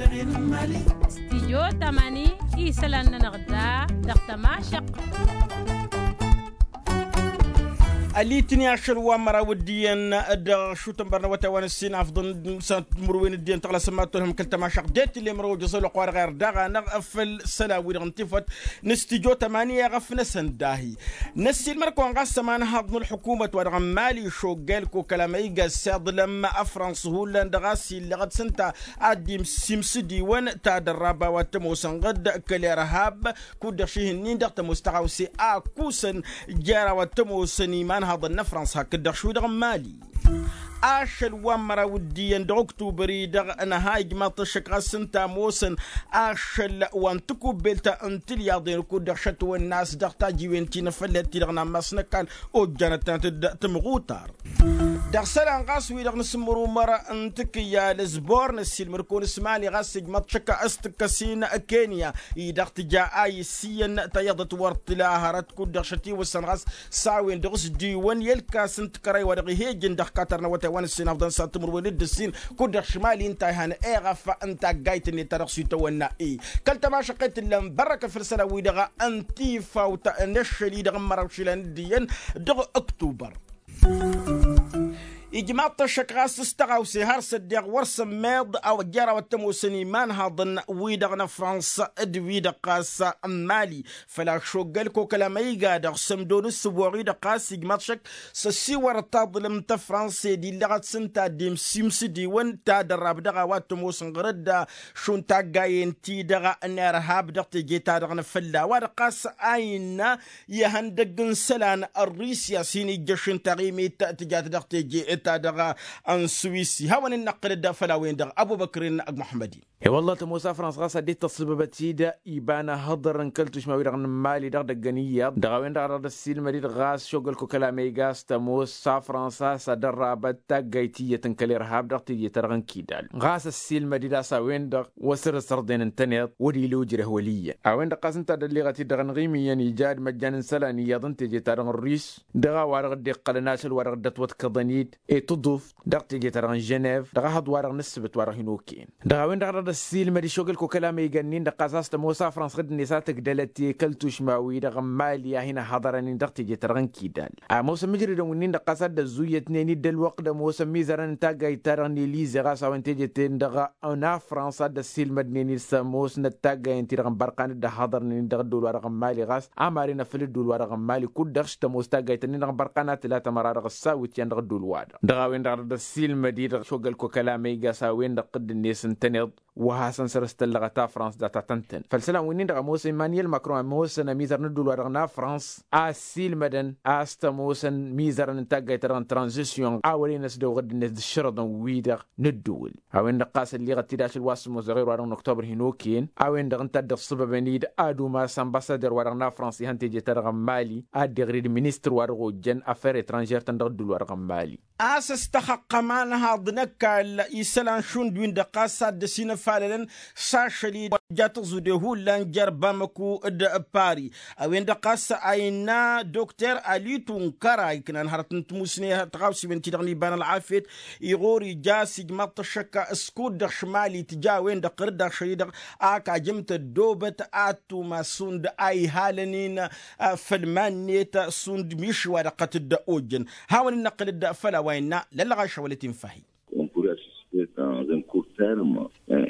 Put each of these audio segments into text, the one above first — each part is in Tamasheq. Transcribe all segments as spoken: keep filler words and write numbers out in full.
Stijyo tamani isălan-nănăɣ da dăɣ-tămašăq. Ălitni ašăl wa n-măraw d-iyyăn dăɣ-ašut n-bărnăwăt a-wa n-ǝssin afḍăn s-timǝrwen d-iyyăn tăɣlasăn ma t-tolhăm kăl-tămašăq det-ille mărăw ojăẓ ălwăqq-wa-dăɣ irdaɣ-anăɣ făll-isălan-wi-dăɣ n-tifăt n-stijyo tamani eɣăf-năsăn dahi. Năssiilmăr-kăwăn ɣas ămanhaḍ n-ălḥukumăt wa dăɣ-n mali šoggel kokăl amăyga ăssiḍlăm afrăns hullan dăɣ-a-s illăɣăt s-ǝnta ad-dd-im s-imsǝdiwăn ta d-ărraba wa t-ămoosăn ɣǝd kăl-irhab. Kud-dăɣ šihǝnnin dăɣ-tămoos tăɣawse a kusăn jer-a-wa t-ămoosăn imanhaḍăn n-afrăns hakd-dăɣ šwi dăɣ-mali. Ašăl wa n-măraw d-iyyăn dăɣ-oktubăr-i-dăɣ ănha ijmaḍ-t ăššăk ɣas ǝnta ămoosăn ašăl wa n-tikubbelt n-tilyaḍen kud-dăɣ šătwănna a-s dăɣ-tajiwen ti n-afăllet-ti-dăɣ n-ammas n-ăkall ojjanăt-tănăt-dd tǝmɣutar. Dăɣ-isălan ɣas wi-dăɣ nǝsǝmmărumăr n-tikǝyyal s-bor n-ăssiilmăr-kăwăn s-mali ɣas ijmaḍ-t šăkk a s-tǝkkăs-in kenya-i-dăɣ tǝja a iss iyyăn tayyăḍăt wăr t-tǝla hărăt kud-dăɣ šătiwăssăn ɣas s-a-wen-dăɣ s-diwăn i-ălkas n-tikărăy wa dăɣ-ihejăn dăɣ-katăr n-awătay wa n-ǝssin afḍăn s-ad-timǝrwen d-ǝssin kud-dăɣ šimali ǝnta a ihan eɣăf n-taggayt-net ta dăɣ-s itawănna-i. Kăl-tămašăqqet ǝllan bărrăkăt făll-isălan-wi-dăɣ n-tifawt n-ašăl-i-dăɣ n-măraw išilan d-iyyăn dăɣ-ăktubăr. Ijmaḍ-t ăššăk ɣas s-tăɣawse har s-ăddeɣ wăr sămmeḍ a-wa jer-a-wa t-ămoosăn imanhaḍăn-wi-dăɣ n-afrăns d-wi-dăɣ ɣas n-mali. Făl-a-s šoggăl kokăl amăyga-dăɣ sămdo n-ǝssǝboɣ-i-dăɣ ɣas ijmaḍ-t ăššăk s-ăssiwărăt taḍlǝmt tafrăns ed illăɣăt s-ǝnta a dd-imsimsǝdiwăn ta d-ărrab dăɣ-a-wa t-ămoosăn ɣur-dd šund taggayen-ti-dăɣ n-irhab dăɣ-teje-ta-dăɣ n-afălla a-wa-dăɣ ɣas a innă ihăndăgg n-isălan n-rusya s-hin-ijjăš n-taɣimit tǝjat dăɣ-teje-ta-dăɣ n-swisi hawăn-in-năqqǝlăd făll-a-wen-dăɣ ăbubăkr-in ăgg-muḥămmăd-in. E-wălla tămoos afrăns ɣas ad-dd-tăṣṣǝbăbăt-dd iba n-ahǝḍăr n-kăl-tušma-wi-dăɣ n-mali dăɣ-idăgg n-iyyăḍ dăɣ-a-wen-dăɣ a dăɣ-dd-ăssiilmăd-dd ɣas šoggăl kokăl amăyga a-s tămoos afrăns a-s ad-ărrabăt taggayt iyyăt n-kăl-irhab dăɣ-teje-ta-dăɣ n-kidal ɣas ăssiilmăd-dd a-s a-wen-dăɣ wăr săr-ăssărḍen ǝntăneḍ wăr-ila ujreh wăl' iyyăn. A-wen-dăɣ ɣas ǝnta a dd-ălleɣăt-dd dăɣ-enɣi imǝyyăn ija ad-măjjan n-isălan iyyăḍ n-teje-ta-dăɣ n-rus dăɣ-a-wa-dăɣ dd-iqqălăn ašăl wa dăɣ-dd-ătwăḍkăḍăn-dd i-tǝḍuft dăɣ-teje-ta-dăɣ n-ženev dăɣ-ehăḍ-wa-dăɣ n-ǝssǝbǝt wa dăɣ-hin-okăyăn. Dăɣ-a-wen-dăɣ a dăɣ-dd-ăssiilmăd išogăl kokăl amăyga-nin-dăɣ ɣas a-s tămoos afrăns ɣǝdd-net a tǝgdălăt i-kăl-tušma-wi-dăɣ n-mali a hin-ăhhăḍărăn-in dăɣ-teje-ta-dăɣ n-kidal ămoosăn mǝjrădăn-win-nin-dăɣ ɣas a dd-ăzzuyătnen-dd ălwăqq d-ămoosăn imizărăn n-taggayt-ta-dăɣ n-elize ɣas a-wen teje-ten-dăɣ n-afrăns a dd-ăssiilmădnen-dd s-ămoosnăt taggayen-ti-dăɣ n-bărqan dd-ăhhăḍărnen-in dăɣ-ăddol-wa-dăɣ n-mali ɣas a maren afăl ăddol-wa-dăɣ n-mali kud-dăɣ s-tămoos taggayt-nin-dăɣ n-bărqan a tǝla tămăra dăɣ-ăssawǝtyan dăɣ-ăddol-wa-dăɣ. Dăɣ-a-wen-dăɣ a dd-ăssiilmăd-i-dăɣ šogăl kokăl amăyga a-s a-wen-dăɣ ɣǝdd-net ǝntăneḍ wa hasăn-săr s-tăllăɣăt afrăns data tăn-tăn făll-isălan wi-nin-dăɣ ămoosăn imanyel makron ămoosăn ămizăr n-ăddol-wa-dăɣ n-afrăns a ăssiilmădăn a-s tămoosăn imizărăn n-taggayt-ta-dăɣ n-tranzisyon a wăren ăsdăwɣ ăddinăt d-ǝššărăḍăn-wi-dăɣ n-ǝddǝwǝl. A-wen-dăɣ ɣas ălliɣăt-dd ašăl wa s-ămoos ăɣir-wa-dăɣ n-oktober hin-okăyăn a-wen-dăɣ ǝnta a dd-iṣṣăbăbăn-dd ad-umas anbassader-wa-dăɣ n-afrăns ihăn teje-ta-dăɣ n-mali ad-dd-iɣrid ministăr-wa-dăɣ ojjăn afăr etranžer-tăn dăɣ-ăddul-wa-dăɣ n-mali. A-s ăstăxăqqăm anhaḍ n-ăkall isălan šund win-dăɣ ɣas a dd-ăsinăfalălăn s-ašăl-i wa ija tǝẓude hullan jer-bamăku d-pari. A-wen-dăɣ ɣas a innă dokter alitu n-kăra iknan hărăt n-timusne tăɣawsiwen-ti-dăɣ n-iba n-ălɣafyăt iɣur ija s-ijmăḍ-t ăššăk s-kud-dăɣ šimali tǝja a-wen-dăɣ ɣǝr-dd ašăl-i-dăɣ ak ajǝm-t ăddoobăt ad-tumas šund a ihalăn-in făll-iman-net šund miši wa dăɣ-tăt-dd-ojjăn. Hawăn-in-năqqǝl-dd făll-a-wa innă lăllăɣaš awălăt infahi.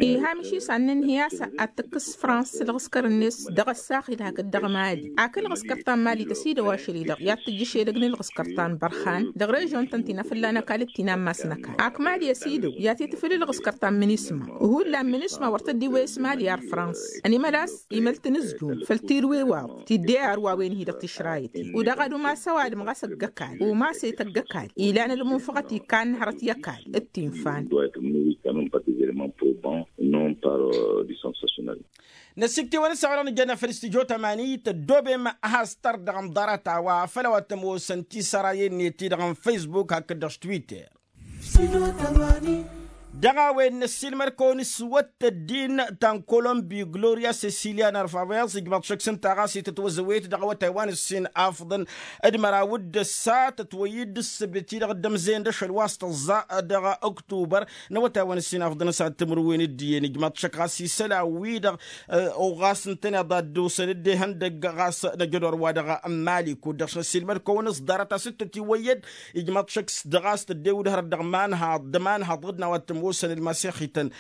Iha miši s-ad-nǝnhǝy a-s ad-tǝkkǝs fransa ǝlɣǝskăr-net dăɣ-ăssaɣ-i-dăɣ hakd dăɣ-mali. Ak ǝlɣǝskăr ta n-mali tăsidăw ašăl-i-dăɣ i-ad-tǝjjǝš edăgg n-ǝlɣǝskăr ta n-bărhan dăɣ-režon-tăn ti n-afǝlla n-ăkall d-ti n-ammas n-ăkall ak mali ăsidăw i-ad-t-itǝfǝl ǝlɣǝskăr ta n-minisma. Hullan minisma wăr tăddiwăyăs mali ar fransa ănimălas imăl tinǝzjum făll-tirǝwewaḍ tidde ar wa wen-hi-dăɣ tišrayăt-i. U-dăɣ ad-umas ăwadǝm ɣas ăgg-ăkall umas i-tăgg-ăkall ilan ălmunfăɣăt ikkan hărăt i-ăkall d-tinfan. Năsiktewăn s-a-wa-dăɣ nǝjănna făll-studyo tămani tăddoobem. Has-tărdăɣ n-ḍarăt-a-wa făll-a-wa t-ămoosăn tisărayen-net-ti-dăɣ n-facebook hakd-dăɣ s-twitter. Dăɣ-a-wen năssiilmăd-kăwăn s-wăt tăddin ta n-kolombi gloria sesilia n-arfabăyaẓ ijmaḍ šăkk s-ǝnta ɣas itătwăzăwet dăɣ-awătay wa n-ǝssin afḍăn d-măraw d-ăssa tătwăyyǝd d-ǝssǝbdăt-i-dăɣ dd-ămzeyăn d-ašăl wa s-tăẓẓa dăɣ-oktubăr n-awătay wa n-ǝssin afḍăn s-ad-timǝrwen d-iyyăn ijmaḍ šăkk ɣas isălan-wi-dăɣ ɣas ǝntăneḍ ad-dd-osăn dd-ihăndăgg ɣas năjădor wa dăɣ-mali kud-dăɣ s-năssiilmăd-kăwăn s-ḍarăt a-s dd-tătiwăyyăd ijmaḍ šăkk s-dăɣ-as tăddewǝd hărăt dăɣ-imanhaḍ d-imanhaḍ ɣǝd-n a-wa t-ămoosăn ălmasexităn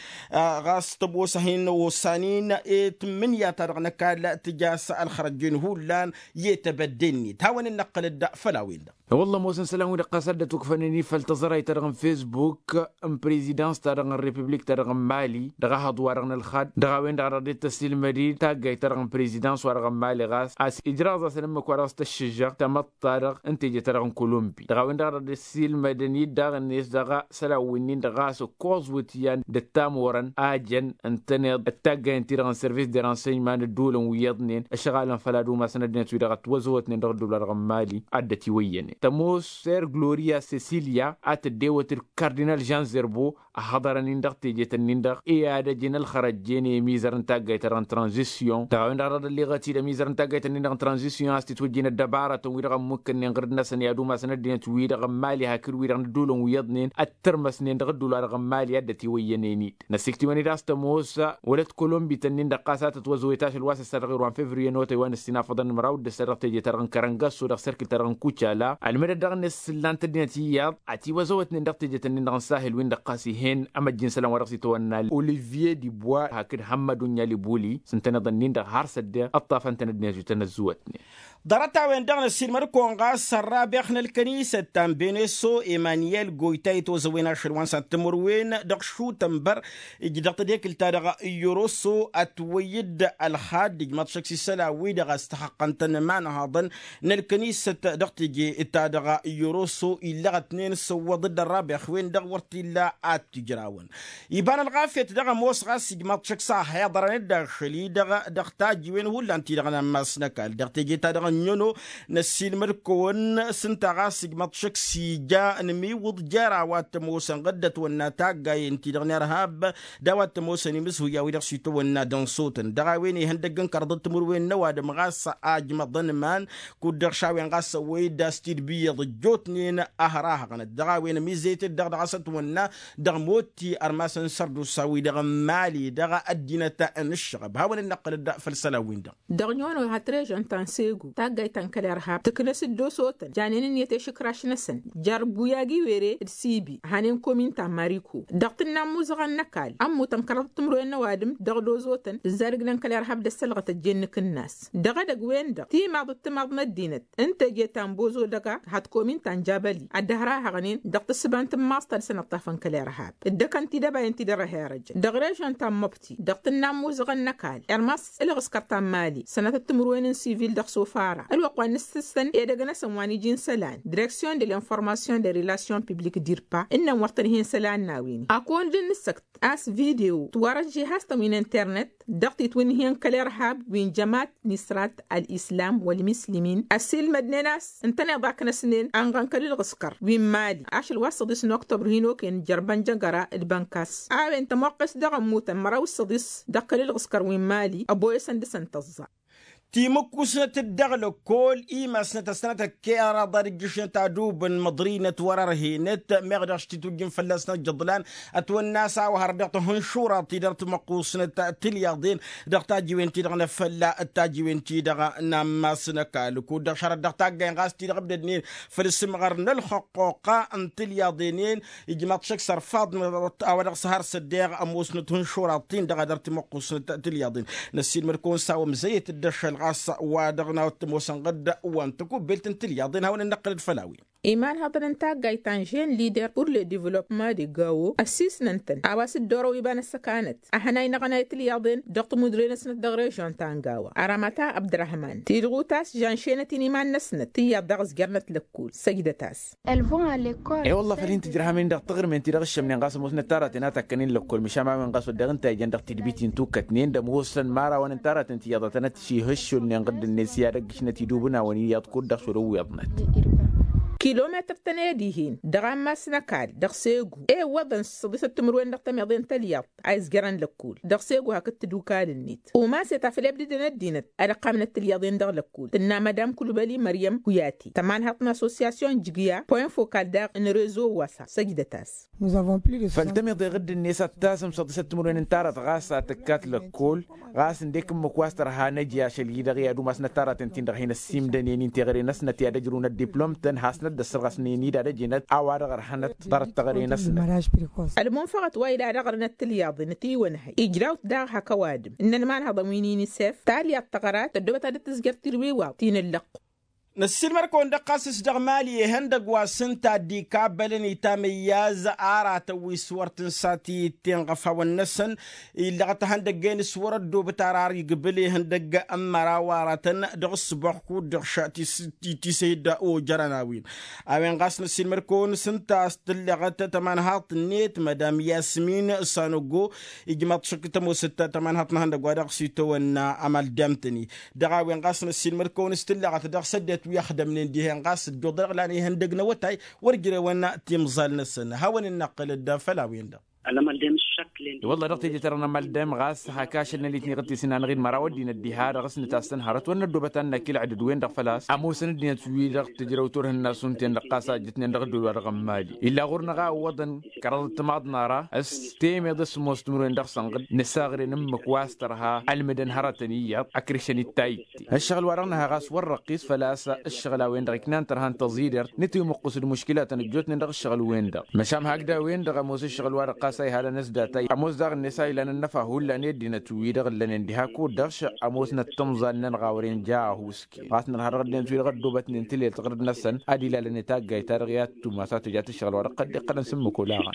ɣas tămoos a hin-osanin i-tǝmmǝnǝya-ta-dăɣ n-ăkall tǝja a-s ălxărăjjen hullan i-tebădde-net hawăn-dd-năqqǝlăd făll-a-wen-dăɣ. E-wălla ămoosăn isălan-wi-dăɣ ɣas a dd-ătukfănen i-făll-taẓărayt-ta-dăɣ n-fesbuk n-prezidans-ta-dăɣ n-republik-ta-dăɣ n-mali dăɣ-ehăḍ-wa-dăɣ n-ălxad dăɣ-a-wen-dăɣ a dăɣ-dd-tăsilmăd-dd taggayt-ta-dăɣ n-prezidans-wa-dăɣ n-mali ɣas a-s ijraẓ-asăn ǝmmǝk-wa-dăɣ s-tăššǝžžăɣt tamăḍt ta-dăɣ n-teje-ta-dăɣ n-kolombi dăɣ-a-wen-dăɣ a dăɣ-dd-ăssiilmădăn-dd daɣ-net dăɣ-isălan-winnin-dăɣ ɣas ǝkkoẓ wǝtyan d-ăttamorăn a jăn ǝntăneḍ d-taggayăn-ti-dăɣ n-sărvis de ransăyman ădduulăn wi iyyăḍnen ăšɣalăn făll-ad-umasăn ăddinăt-wi-dăɣ ătwăzăwătnen dăɣ-ădduul-wa-dăɣ n-mali ad-dd-ătiwăyyănen tămoos ser gloria sesilia a tăddewăt d-kardinal žan zerbo ăhhăḍărăn-in dăɣ-tejet-nin-dăɣ i-ad-ăjǝn ălxărăjjen i-mizăr n-taggayt-ta-dăɣ n-tranzisyon dăɣ-a-wen-dăɣ a dăɣ-dd-ălliɣăt-dd ămizăr n-taggayt-nin-dăɣ n-tranzisyon a-s titwǝjjǝn ăddăbarătăn-wi-dăɣ ămmukkănnen ɣǝrǝd-năsăn i-ad-umasăn ăddinăt-wi-dăɣ n-mali hakd wi-dăɣ n-ădduulăn wi iyyăḍnen ăttărmăsnen dăɣ-ădduul-wa-dăɣ n-mali a dd-ătiwăyyănen-dd năssiktǝwăn-dd a-s tămoos wălăt kolombităn-nin-dăɣ ɣas a tătwăzăwet ašăl wa s-ăssa dăɣ-irwan fevriye n-otăy wa n-ǝssin afăḍăn n-măraw d-ǝssa dăɣ-teje-ta-dăɣ n-kărăngăsso dăɣ-serkǝl-ta-dăɣ n-kucala ălmădăt dăɣ-net s-ǝllan-t ăddinăt iyyăḍ ătiwăzăwătnen dăɣ-tejet-nin-dăɣ n-sahil-win-dăɣ ɣas ih'-en ămăjjǝn isălan wa dăɣ-s itwănna olivier dibois hakd hămmăd unyalibuli s-ǝntăneḍ ǝnnin-dăɣ har s-ăddeɣ ăṭṭafăn-tăn ăddinăt wi tăn-ăzzuwătnen. Ḍarăt-a-wen-dăɣ năssiilmăd-kăwăn ɣas ărrabex n-ălkănisăt ta n-beneso emanyel goyta itwăzăwen ašăl wa n-săn-timǝrwen dăɣ-šutănbăr ǝjdăɣ tadekǝlt-ta-dăɣ iyyăroso ătwăyy-dd ălxadd ijmaḍ šăkk s-isălan-wi-dăɣ a-s tăxăqqăn-tăn imanhaḍăn n-ălkănisăt dăɣ-teje-ta-dăɣ iyyăroso illăɣ ătnen săwwăḍ-dd ărrabex-wen-dăɣ wăr t-illa ad-t-ijrawăn. Iba n-ălɣafyăt dăɣ-ămoos ɣas ijmaḍ šăkk s-a hi-iḍărăn-dd ašăl-i-dăɣ dăɣ-tajǝwen hullan-ti-dăɣ n-ammas n-ăkall dăɣ-teje-ta-dăɣ n-ănnono năssiilmăd-kăwăn s-ǝnta ɣas ijmaḍ šăkk s-ija ănmiwǝḍ jer-a-wa t-ămoosăn ɣǝddăt wănna taggayen-ti-dăɣ n-irhab d-a-wa t-ămoosăn imǝzhuy a-wi-dăɣ s-itwănna d-ănṣotăn dăɣ-a-wen ihăndăgg n-kărḍăt timǝrwen n-ăwadǝm ɣas a ǝjmăḍăn iman kud-dăɣ šawen ɣas ăwwăy-dd a-s tidbǝyyăḍ ăjjootnen a hărahăɣnăt dăɣ-a-wen ămizăyăt-dd dăɣ-dăɣ a-s ătwănna dăɣ-motti ărmasăn sărdusa-wi-dăɣ n-mali dăɣ-ăddinăt n-ǝššăɣăb hawăn-dd-năqqǝlăd făll-isălan-win-dăɣ. Dăɣ-nyono hat režon ta n-segu taggayt ta n-kăl-irhab tǝknăs-dd osotăn janen ǝnniyăt i-išǝkraš-năsăn jer-buyagi were d-sibi ăhanen komin ta n-mariko dăɣ-tǝnna n-imuzăɣăn n-ăkall ămmutăn kăraḍăt timǝrwen n-ăwadǝm dăɣ-dozotăn d-ǝzzadǝg n-kăl-irhab d-ăssălɣăt ăjjeen n-ikǝnnas dăɣ-edăgg-wen-dăɣ timaḍ d-timaḍ n-ăddinăt n-teje ta n-bozo dăɣ-a hat komin ta n-jabăli ad-dd-hărahăɣnen dăɣ-tǝssǝba n-tǝmmaẓt ta dăr-săn ăṭṭafăn kăl-irhab dd-ăkăn tidăbayen ti dăr-ăhirăjăn dăɣ-režon ta n-măbti dăɣ-tǝnna n-imuzăɣăn n-ăkall irmas ǝlɣǝskăr ta n-mali sănatăt timǝrwen n-sivil dăɣ-sofara ălwăqq wa n-ǝssǝssăn edăgg-năsăn wa n-iji n-isălan direksyon de l'informasyon de relasyon publik dirpa ǝnnăn wăr tăn-hin isălan n-a-wen-i ad-kăwăn-dd-nǝssăkt a-s video tiwărăžžihastăn wi n-internet dăɣ-titwǝnhǝyăn kăl-irhab wi n-jămat nisrat ăllislam wălmǝslimin ăssiilmădnen a-s ǝntăneḍ a ǝknăsnen anɣăn kăl-ǝlɣǝskăr wi n-mali ašăl wa s-săḍis n-oktobr hin-okăyăn jer-bănjăgăra d-bănkas a-wen tămoqqes dăɣ-ămmutăn măraw s-săḍis dăɣ-kăl-ǝlɣǝskăr wi n-mali ăboyăsăn dăɣ-săn tăẓẓa. Timǝkkusnăt-dd dăɣ-lăkkol imasnăt ăssănăt ăkkeraḍ ad-ǝjjǝšnăt adub n-măḍrinăt wăr-ărhenăt meɣ dăɣ-s titwǝjjǝn fălla-s n-ăjjăḍlan ătwănna a-s a-wa hărăt dăɣ-tihǝnšuraḍ-ti-dăɣ timǝqqusnăt tilyaḍen dăɣ-tajiwen-ti-dăɣ n-afălla d-tajiwen-ti-dăɣ n-ammas n-ăkall kud-dăɣ šărăt dăɣ-taggayen ɣas ti-dăɣ ǝbdădnen făll-asǝmɣăr n-ălxăqqoqa n-tilyaḍen-en ijmaḍ šăkk s-ărfaḍ a-wa dăɣ-s har s-ăddeɣ ămoosnăt ihǝnšuraḍ-tin-dăɣ ad-ăr timǝqqusnăt tilyaḍen. Năssiilmăd-kăwăn s-a-wa ămzăyăt-dd ašăl ɣas wa dăɣ-nawăt tămoosăn ɣǝdda wa n-tăkubbelt n-tilyaḍen hawăn-dd-năqqǝlăd făll-a-wen. Imanhăḍăn n-taggayt ta n-žen lider pur le divlopma de gawo ăssisnăn-tăn a-wa s-dd-orăw iba n-ăssăkanăt ahănay n-aɣănay tilyaḍen dăɣ-timudre-năsnăt dăɣ-režon ta n-gawa. Aramata abdărahman tidɣut a-s žănšenăt-in iman-năsnăt tiyyăḍ dăɣ-s jer-năt lăkkul săjdăt-as. E-wălla făl hin-tǝjrăhăm-in dăɣ-taɣrǝmen-ti-dăɣ ǝššămnen ɣas ămoosnăt taraten a takkănen lăkkol măšan ma-wen ɣas wădden ǝnta a ijăn dăɣ-tidbit-in tukkătnen d-ămoosăn imărawăn n-taraten tiyyăḍătăn ad-t-šihăššulnen ɣǝddǝn-net i-ad-ăggǝšnăt idubǝnawăn iyyăḍ kud-dăɣ šolăwweḍnăt. kilometăr-tăn i-ad-ih'-en dăɣ-ammas n-ăkall dăɣ-segu i-iwwăḍăn s-săḍisăt timǝrwen dăɣ-tămiḍe n-tălyaḍt a izjărăn lăkkol. Dăɣ-segu hakd tǝdukal-net umas i-tafăl i-abdǝdăn ăddinăt ad-ăqqamnăt tǝlyaḍen dăɣ-lăkkol tǝnna madam kulbăli măryăm kuyate tămanhăḍt n-assosyasyon jǝgǝya point fokal daɣ n-rezo wasa săjdăt-as. Făl tămiḍe ɣǝdd-net ad-tasǝm săḍisăt timǝrwen n-tarat ɣas ad-tǝkkat lăkkol. Ɣas ǝndek ǝmmǝk wa s-tărha năj i-ašăl-i-dăɣ i-ad-umasnăt aratăn-tin-dăɣ hin-ăssimdănen-in teɣăre-năsnăt i-ad-ăjrǝwnăt diplom-tăn hasnăt d-ăssărɣăsnen-dd ad-ăjǝnăt a-wa-dăɣ ărhănăt ḍarăt teɣăre-năsnăt. Ălmunfăɣăt wa ila dăɣ-ărnăt tǝlyaḍen ătiwănhăy ijraw-t daɣ hak ăwadǝm ǝnnăn imanhăḍăn wi n-inisef talyaḍt tăɣrat tăddoobăt ad-dd-tǝzjăr tilwiwaḍ ti n-ǝllăqqu. Năssiilmăr-kăwăn-dăɣ ɣas s-dăɣ mali ihăndăgg wa s-ǝnta a dd-ikabbălăn itamǝyyaz aratăn wi s-wăr tǝnsat i-ǝtten ɣăfawăn-năsăn. Illăɣăt ihăndăgg-en s-wăr-ăddoobăt ara ar igbǝl ihăndăgg n-măraw aratăn dăɣ-ǝssǝboɣ kud-dăɣ š-tisăy-dd ojărăn a-wen. A-wen ɣas năssiilmăr-kăwăn s-ǝnta a-s tǝlleɣăt tămanhaḍt-net madam yasmin sanogo. Ijmaḍ šăkk tămoosăt tămanhaḍt n-ihăndăgg wa dăɣ-s itawănna amaldam-tăn-i. Dăɣ-a-wen ɣas năssiilmăd-kăwăn s-tǝlleɣăt dăɣ-săddinăt wi ăxdămnen dihen ɣas ăddoḍăɣ lan ihăndăg n-awătay wăr jrewăn timẓal-năsăn hawăn-in-năqqǝlăd făll-a-wen-dăɣ. I-wălla dăɣ-teje-ta-dăɣ n-amaldam ɣas hak ašăl n-alitniɣ d-tisǝnanăɣ-in măraw ăddinăt diha-dăɣ s-nǝtassăn hărăt wăr năddoobăt ad-năkk ilăɣdăd-wen-dăɣ făl-a-s ămoosăn ăddinăt-wi-dăɣ tǝjrăw turhǝnna s-unten-dăɣ ɣas a ǝjjǝtnen dăɣ-ăddul-wa-dăɣ n-mali illa ɣur-năɣ a ǝwwăḍăn kăraḍăt timaḍ n-ara s-temeḍ s-ămoos timǝrwen dăɣ-sănɣǝd nǝsaɣre n-ǝmmǝk wa s-tărha ălmǝdăn hărătăn iyyăḍ ăkrǝšăn-dd tayǝtte. Ǝššăɣǝl-wa-dăɣ nǝha ɣas wăr răqqis făl-a-s ǝššăɣǝl a-wen-dăɣ iknan tărha n-tăẓidert nǝtiwmǝqqǝs d-muškǝlatăn ăjjootnen dăɣ-ǝššăɣǝl-wen-dăɣ. Măšan hakd a-wen-dăɣ ămoos ǝššăɣǝl-wa-dăɣ ɣas a ihalăn s-datay ămoos daɣ-net a ilan ănnăfa hullan i-ăddinăt wi-dăɣ ǝllănen diha kud-dăɣ š-ămoosnăt timẓal-nănăɣ a wăren ja ahusken ɣas nărha dăɣ-ăddinăt wi-dăɣ ăddoobătnen tǝlelt ɣǝrǝd-năsăn ad-ilalăn i-taggayt-ta-dăɣ i-ad-tumas a tǝjat ǝššăɣǝl-wa-dăɣ qăddeqqălăn s-ǝmmǝk olaɣăn.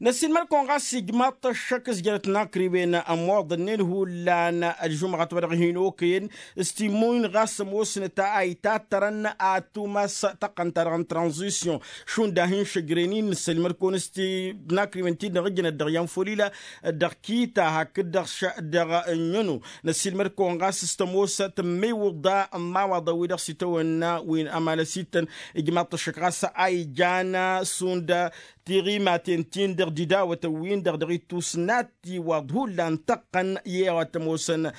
Năssiilmăd-kăwăn ɣas ijmaḍ-t ăššăk s-jărăt n-akriwen ămmoḍănnen hullan ălžumɣăt wa dăɣ-hin-okăyăn s-timmun ɣas ămoosnăt a itattărăn ad-tumas tăqqăn-ta-dăɣ n-tranzisyon šund a hin-šăjren-in năssiilmăd-kăwăn s-ti n-akriwen ti-dăɣ ǝjnăt dăɣ-iyyăn folila dăɣ-kita hakd-dăɣ dăɣ-ǝnnyăno. Năssiilmăd-kăwăn ɣas s-tămoos tǝmmăywǝḍa n-imawaḍăn wi dăɣ-s itawănna wi n-amalăs-ittăn. Ijmaḍ-t ăššăk ɣas a ijan šund tiɣimaten-tin-dăɣ d-idawătăn-win-dăɣ dăɣ-ittus n-ad-tiwaḍ hullan tăqqăn i-ad-ămoosăn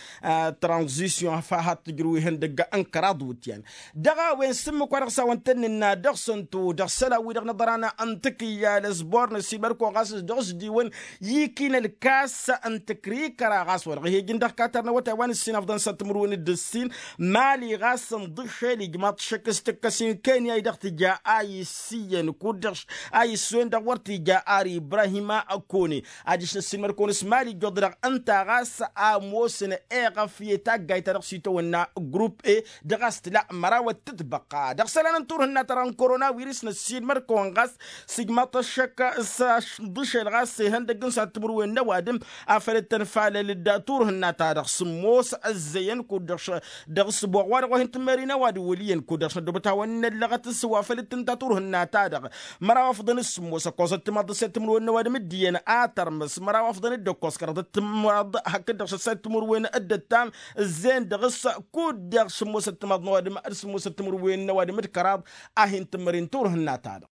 tranzisyon făll-ad-tǝjrǝw ihăndăgg n-kăraḍ wǝtyan. Dăɣ-a-wen s-ǝmmǝk wa dăɣ-s a-wăn tăn-nǝnna dăɣ-săn-tu dăɣ-isălan-wi-dăɣ n-aḍran n-tǝkǝyyal ăsbor năssiilmăd-kăwăn ɣas s-dăɣ-s diwăn i-ikinăl kas n-tǝkrikăra ɣas wa dăɣ-hi-ijǝn dăɣ-katar n-awătay wa n-ǝssin afḍăn s-ad-timǝrwen d-ǝssin. Mali ɣas ǝnḍǝšel ijmaḍ-t šăkk s-tǝkkăs-in kenya i-dăɣ tǝja a issǝyyăn kud-dăɣ a issǝyyăn dăɣ-wăr tǝja ar ibrahima kone. Adiš năssiilmăd-kăwăn s-mali ǝjjuḍ-dăɣ ǝnta ɣas a ămoosăn eɣăf i-taggayt ta dăɣ-s itawănna grup e. Dăɣ-a-s tǝla măraw ăttătbăqqa dăɣ-isălan n-turhǝnna-ta-dăɣ n-korona wirǝs năssiilmăd-kăwăn ɣas s-ijmaḍ-t ăššăk s-ašǝḍǝšel ɣas ihăndăgg n-sănat timǝrwen n-ăwadǝm afăl dd-tănfalăl d-turhǝnna-ta-dăɣ sǝmmos ăzzeyăn kud-dăɣ dăɣ-ǝssǝboɣ wa-dăɣ wa hin-tǝmmerin ăwadǝm wăl' iyyăn kud-dăɣ s-năddobăt hawăn-in-ăllăɣăt s-wa făl dd-tǝnta turhǝnna-ta-dăɣ. Măraw afḍăn s-sǝmmos ăkkoẓăt timaḍ dăɣ-sănat timǝrwen n-ăwadǝm d-iyyăn a tărmǝs măraw afḍăn d-ăkkoẓ kăraḍăt timaḍ hakd-dăɣ sănat timǝrwen d-ăttam ǝzzeyăn dăɣ-s kud-dăɣ sǝmmosăt timaḍ n-ăwadǝm d-sǝmmosăt timǝrwen n-ăwadǝm d-kăraḍ a hin-tǝmmărin turhǝnna-ta-dăɣ.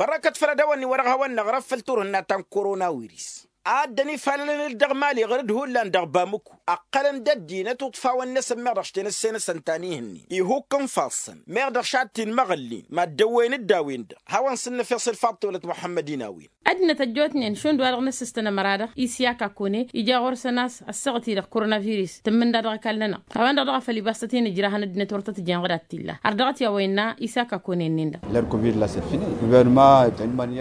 Bărrăkăt făll-ad-dăɣ-wănni wa dăɣ-hawăn-năɣrăf făll-turhǝnna ta n-korona wirǝs a dd-ănifalălăn-dd dăɣ-mali ɣăr-dd hullan dăɣ-bamuku ăqqălăn-dd ăddinăt uṭṭfawăn-năsăn meɣ dăɣ-s tenăssenăsăn ta n-ihǝnnin ihukk n-ifassăn meɣ dăɣ-s ad-t-in-măɣǝllin mad-dăwwăyăn-dd a-wen-dăɣ. Hawăn-sǝnnăfeɣ s-ǝlfaḍ tewălăt muḥămmăd-in a-wen. Ăddinăt ăjjootnen šund wa-dăɣ n-ǝssǝstăn ămăra-dăɣ isyak akone ija ɣur-săn a-s ăssaɣăt-i-dăɣ koronavirus tǝmmǝnda dăɣ-ăkall-nănăɣ. A-wen-dăɣ dăɣ-a făl ibas tăt-in-ǝjrahăn ăddinăt wăr tăt-ǝjrăyăn ɣǝd ad-t-illa har dăɣ-t i-a-wa innă isyak akone-nin-dăɣ. Lăr covid la săfine guvernăma.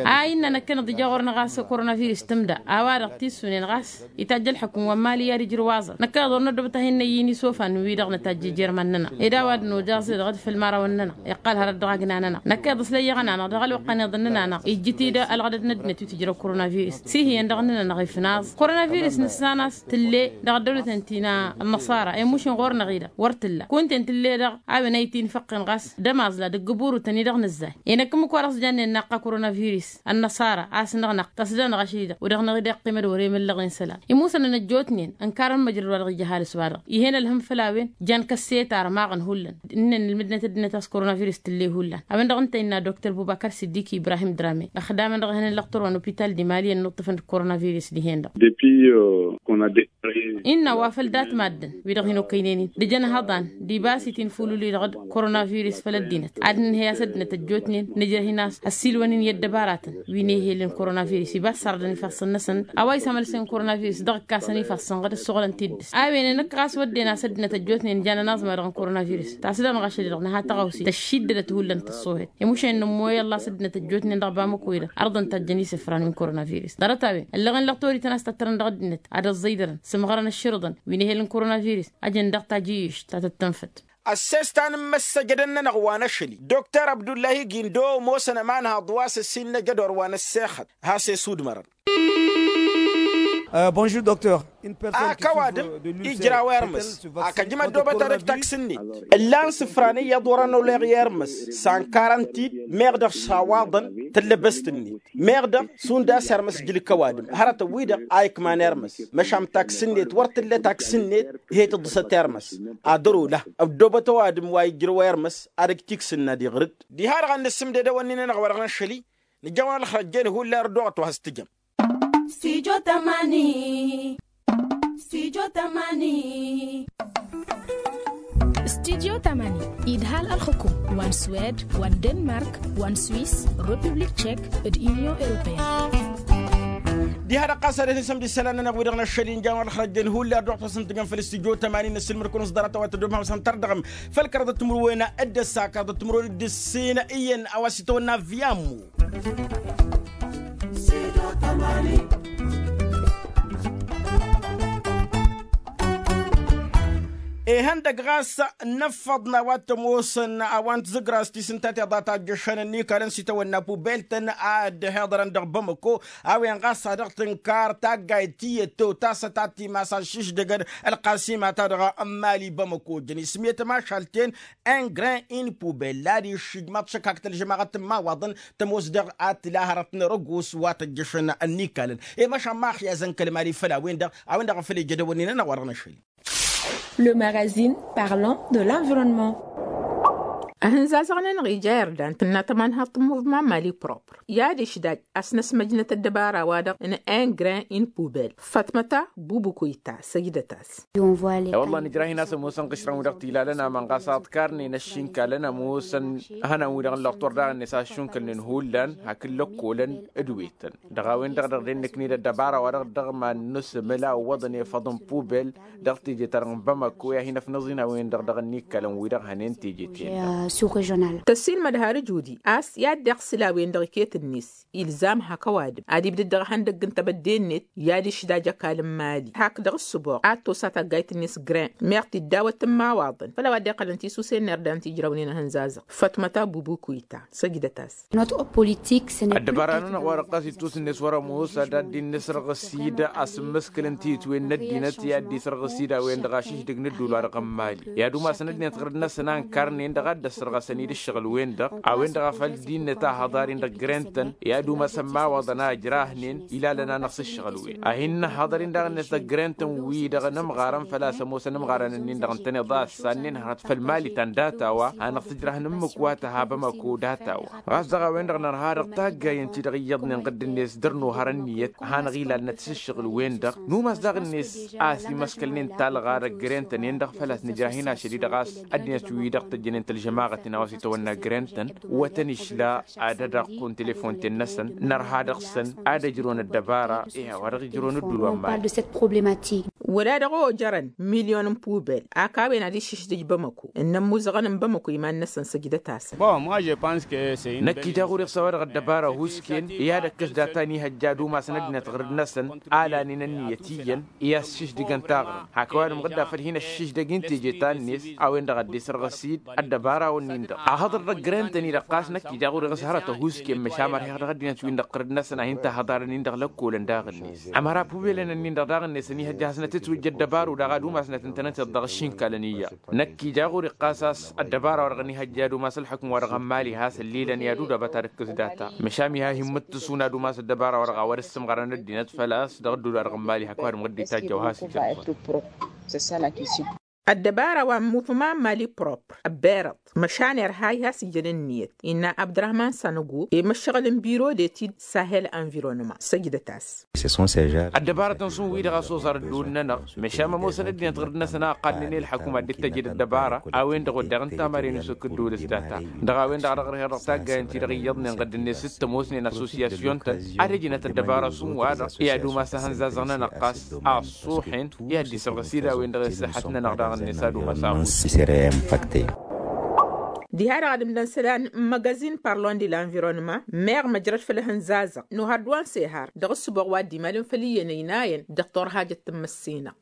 A innă năkkăneḍ ija ɣur-năɣ a-s koronavirus tǝmda a-wa-dăɣ tissunen ɣas itajj ălḥukǝm wa n-mali i-ad-ijrǝw aẓăr năkkăneḍ wăr năddobăt ad-hin-năyy inisofan-wi-dăɣ nǝtajj ijerman-nănăɣ ed a-wa dd-nojăẓ-i-dăɣ d-făll-imărawăn-nănăɣ iqqal hărăt dăɣ-agna-nănăɣ năkkăneḍ s-lăyyăɣăn-anăɣ dăɣ-ălwăqq ănniḍăn-nănăɣ ijjǝt-dd ălɣădăd n-ăddinăt wi tǝjrăw koronavirus s-ih' iyyăn dăɣ-nănăɣ ifnaẓ koronavirus nǝssan a-s tǝlle dăɣ-ăddăwlăten ti n-ănnăṣara i-mušin ɣur-năɣ-i-dăɣ wăr tǝlla kunta-en tǝlle-dăɣ a-wen a itǝnfăqqen ɣas d-ămaẓla dăgg-ǝburutăn-i-dăɣ nǝzzay. Enăkk ǝmmǝk wa dăɣ-s jannen naqqa koronavirus ănnăṣara a-s năɣnăɣ tăsdănăɣ ašăl-i-dăɣ wăr dăɣ-năɣ-i-dăɣ. Tămădore măllăɣen sălam imusăn n-ăjjootnen ănkarăn măjrăd wa dăɣ-ija ăhalǝs wa-dăɣ ihăn ălhăm făll-a-wen. Jan kăsset armăɣăn hullan ǝnnăn ǝlmǝdnăt ăddinăt a-s koronavirǝs tǝlle hullan. A-wen dăɣ-ǝnta innă doktor bubakar siddik ibrahim drame ăxdamăn dăɣ-ehăn n-lăqtor wa n-opital d-imali ănnuṭṭǝfăn d-koronavirǝs dihen-dăɣ. Innă wa făl dat-maddǝn wi-dăɣ hin-okăynen-in d-ejăn hăḍan d-ibas itinfulul-i-dăɣ d-koronavirǝs făll-ăddinăt ad-nǝnhăy a-s ăddinăt ăjjootnen nǝjrăh-in a-s ăssiilwăn-in i-ăddăbaratăn wi n-ehel n-koronavirǝs ibas sarădăn ifassăn-năsăn. A-wa isămălsen koronavirǝs dăɣ-ǝkkasăn ifassăn ɣǝd ăssoɣlăn tiddǝst a-wen enăkk ɣas wădden a-s ăddinăt ăjjootnen jan ănaẓmad dăɣ-n koronavirǝs tasdănɣašăd-i-dăɣ nǝha tăɣawse tăššiddădăt hullan tăṣṣohet. Imušen n-ămmoy ăllas ăddinăt ăjjootnen dăɣ-bamăko-i-dăɣ ărḍăn tajjăn isǝfran wi n-koronavirǝs ḍarăt-a-wen ăllăɣen lăɣ torităn a-s tattărăn dăɣ-ăddinăt ad-ăẓẓăydărăn sǝmɣărăn ăšširǝḍăn wi n-ehel n-koronavirǝs. Ajăn dăɣ-tajǝyyǝšt ta tăt-tǝnfăd. Ăsses ta n-imăssăjădăn-nănăɣ wa n-ašăl-i doktor abdullahi gindo ămoosăn ămanhăḍ wa s-ăssiilnăjăd orwa n-ăssexăt has-esudmărăn. Ak ăwadǝm ijraw ermǝs ak ăjǝm ăddoobăt ad-ăj taksǝnnet ǝllan sǝfran iyyăḍ wăr-ănoleɣ i-ermǝs s-ankarăn-t-dd. Meɣ dăɣ-s awaḍăn tǝllăbăst-net meɣ dăɣ-s und a-s ermǝs jǝlǝk ăwadǝm hărătăn-wi-dăɣ a ikman ermǝs. Măšan taksǝnnet wăr tǝllăt aksǝnnet he-tǝḍǝsăt ermǝs ad-ărola ăddoobăt ăwadǝm wa ijrăw ermǝs ad-ăj tiksǝnna d-iɣrǝd. Diha-dăɣ ad-nǝssǝmded ewănnin-anăɣ wa dăɣ-năššăl-i nǝjjăn wa n-ălxărăjjen hullan ărdooɣăt wa has-tǝjăm. Studio tamani. Studio tamani. Studio tamani idhal ălxukum wa n-swed wa n-denmark wa n-swiss, republik tchek d-union europeen. Diha-dăɣ ɣas ad-ăsnăsăm d-isălan-nănăɣ wi-dăɣ n-ašăl-i n-jan wa n-ălxărăjjen hullan ărdooɣăt wa s-ǝntǝjăm făll-studio tamani n-ăssilmăd-kăwăn s-ḍarăt a-wa tăddoobăm hawsăn tărdăɣăm. Făll-kăraḍăt timǝrwen d-ǝssa kăraḍăt timǝrwen d-ǝssin iyyăn a-wa s-itawănna avyamu. Ihăndăg ɣas năffăḍ n-a-wa t-ămoosăn a-wa n-tizǝgra s-tisǝnta tiḍa ta ăjjăšăn ănnikalăn s-itawănna pubeltăn a dd-hiḍărăn dăɣ-bamăko. A-wen ɣas a dăɣ-tǝnkar taggayt tiyyăt tewtasăt ad-timas aššǝšdăgăn ălqasima-ta-dăɣ n-imali bamăko jăn ismiyăt ămašal-ten. Engrin in pubel ad-iššǝjmaḍ šăkak tălžămaɣăt n-imawaḍăn tămoos dăɣ-ad-tǝla hărăt n-erăgos wa tăjjăšăn ănnikalăn. I-măšan ma ăxyazăn kăl-mali făll-a-wen-dăɣ a-wen-dăɣ a făl ija dăwănnin-anăɣ wa dăɣ-năšăl. Le magazine parlant de l'environnement. Ahǝnzazăɣ-nănăɣ ija irdan tǝnna tămanhaḍt n-muvman mali propr i-ad-išdaj a-s năsmăjnăt ăddăbara-wa-dăɣ n-engrin in pubel. Fatmăta bubukoyta săjdăt-as. I-wălla nǝjrah-in a-s ămoosăn ɣǝšrăn-wi-dăɣ t-ilalăn aman ɣas aḍkarnen ăššinkalăn ămoosăn hănan-wi-dăɣ n-lăqtor daɣ-net a ăššunkălnen hullan hakd lăkkolăn d-wetăn. Dăɣ-a-wen-dăɣ dăɣ-dennăkned ăddăbara-wa-dăɣ dăɣ-iman-năsăn măla ǝwwăḍăn efăḍ n-pubel. Dăɣ-teje-ta-dăɣ n-bamăko i-ad-hin-ăfnăẓ-in a-wen-dăɣ dăɣ-ănnikkălăn-wi-dăɣ hănen teje-ten-dăɣ. Tăssiilmăd har ǝjudi a-s i-ad-dd-iɣsǝl a-wen-dăɣ iket-net ilzam hak ăwadǝm ad-ibdăd dăɣ-ihăndăgg n-tebădde-net i-ad-išdaj ăkall n-imali hak dăɣ-ǝssǝboɣ ad-tosa taggayt-net grin meɣ tiddawăt n-imawaḍăn făll-a-wa dd-iqqălăn tisusen n-irdan ti ǝjrăwnen ihănzazăɣ. Fătmăta bubukuy ta săjdăt-as. Ăddăbara-nănăɣ wa-dăɣ ɣas ittus-net wăr-ămoos ad-dd-in-nǝs răɣǝsid a-s ǝmmǝskǝlăn tiyǝtwen n-ăddinăt i-ad-dd-isrăɣǝsid a-wen-dăɣ ašǝšdǝg n-ǝddul wa dăɣ-n imali i-ad-umasăn ăddinăt ɣǝrǝd-năsăn a ǝnkarnen-dăɣ ad-dd-ăssărɣăsăn-dd ǝššăɣǝl-wen-dăɣ. A-wen-dăɣ a făl dd-innăt ahăḍar-in dăɣ-grentăn i-ad-umasăn imawaḍăn a ǝjrahnen ilalăn-anăɣ s-ǝššăɣǝl-wen a hin-nǝhhăḍăr-in daɣ-net dăɣ-grentăn-wi-dăɣ n-ămɣarăn făl-a-s ămoosăn ămɣarăn-ǝnnin-dăɣ ǝntăneḍ a ăssannen hărăt făll-mali ta n-data-wa hanăɣ-tǝjrăh n-ǝmmǝk wa tăha bamăko data-wa. Ɣas dăɣ-a-wen-dăɣ nărha dăɣ-taggayen-ti-dăɣ iyyăḍnen ɣǝdd-net dăr-nohăr ǝnniyăt hanăɣ-ilalnăt s-ǝššăɣǝl-wen-dăɣ. Numas daɣ-net a-s imăskălnen talɣa dăɣ-grentăn-en-dăɣ făl-a-s nǝjrăh-in ašăl-i dăɣ-a-s ăddinăt-wi-dăɣ tăjjănen tălžămaɣăt-in a-wa s-itawănna grentăn. Wătăn išla ad-ădaqqun telefon-ten-năsăn nărha dăɣ-săn ad-ăjrăwăn ăddăbara. Ih' a-wa dăɣ-ijrăwăn ǝddul wa n-mali. Wăla dăɣ-ojărăn milyon n-pubel ak a-wen ad-iššǝšdǝj bamăko ǝnnăn imuzăɣăn n-bamăko iman-năsăn săjdăt-asăn. Năkk ija ɣur-e ɣas a-wa-dăɣ ăddăbara husken i-ad-ăkkăs data n-ihăjja ad-umasăn ăddinăt ɣǝrǝd-năsăn a lanen ǝnniyăt iyyăn i-ad-šǝšdǝgăn taɣrǝmt hak ăwadǝm ɣǝdda făll-hin-ăššǝšdăg-in teje ta-net. A-wen-dăɣ a dd-isărɣǝs-dd ăddăbara-wǝnnin-dăɣ ahăḍăr dăɣ-grentăn-i-dăɣ ɣas năkk ija ɣur-e ɣas hărăt ăhusken măšan mărheɣ dăɣ-ăddinăt-win-dăɣ ɣǝrǝd-năsăn a hin-tahăḍarăn-in-dăɣ lăkkolăn daɣ-net. Ămăra pubelăn-ǝnnin-dăɣ daɣ-net ănihăjja hasnăt. Itwǝjja ăddăbaru daɣ ad-umasnăt ǝntănăteḍ dăɣ-aššinkalăn iyyăḍ. Năkk ija ɣur-iqqas a-s ăddăbara-wa-dăɣ ănihăjja ad-umas ălxukǝm-wa-dăɣ n-imali has-ǝllilăn i-ad-udăbăt ad-ǝkkǝs data. Măšan miha hin-imǝttǝsu n-ad-umas ăddăbara-wa-dăɣ a wăr-ǝssǝmɣărăn ăddinăt făl-a-s dăɣ-ădduul-wa-dăɣ n-imali hak wa dăɣ-măɣ dd-itajjăw has-ijănfăr. Ăddăbara wa n-muvman mali propr ăbbirăḍ măšan irha i-has-ijăn ǝnniyăt innă abdărahman sanăgu i-măššăɣǝl n-biro d-etid sahel anvirăwnăma săjdăt-as. Ăddăbarătăn šund wi-dăɣ a-s oẓar ădduul-nănăɣ. Măšan mămoosăn ăddinăt ɣǝr-năsăn a ăqqalnen i-ălxăkum ad-dd-tăjed ăddăbara a-wen-dăɣ wădden ǝnta a mărăn isuk ǝdduul s-data. Dăɣ-a-wen-dăɣ a dăɣ-rǝheɣ dăɣ-taggayen-ti-dăɣ iyyăḍnen ɣǝdd-net s-tămoosnen asosiyasyon-tăn ad-ǝjnăt ăddăbara šund wa-dăɣ i-ad-umas ahănzazăɣ-nănăɣ ɣas a ăṣṣuḥen i-ad-dd-isărɣǝs-dd a-wen-dăɣ i-ăṣṣăḥăt-nănăɣ daɣ-net ad-umas a. Diha-dăɣ ad-ǝmdăn isălan n-măgăzin parlon di lanvirăwnăma meɣ măjrăd făll-ehăn zazăɣ n-ohăr d-wa n-sehar dăɣ-ǝssǝboɣ wa dd-imalăn făll-iyyăn ăynayăn dăɣ-torhajăt tǝmmǝssinăɣ.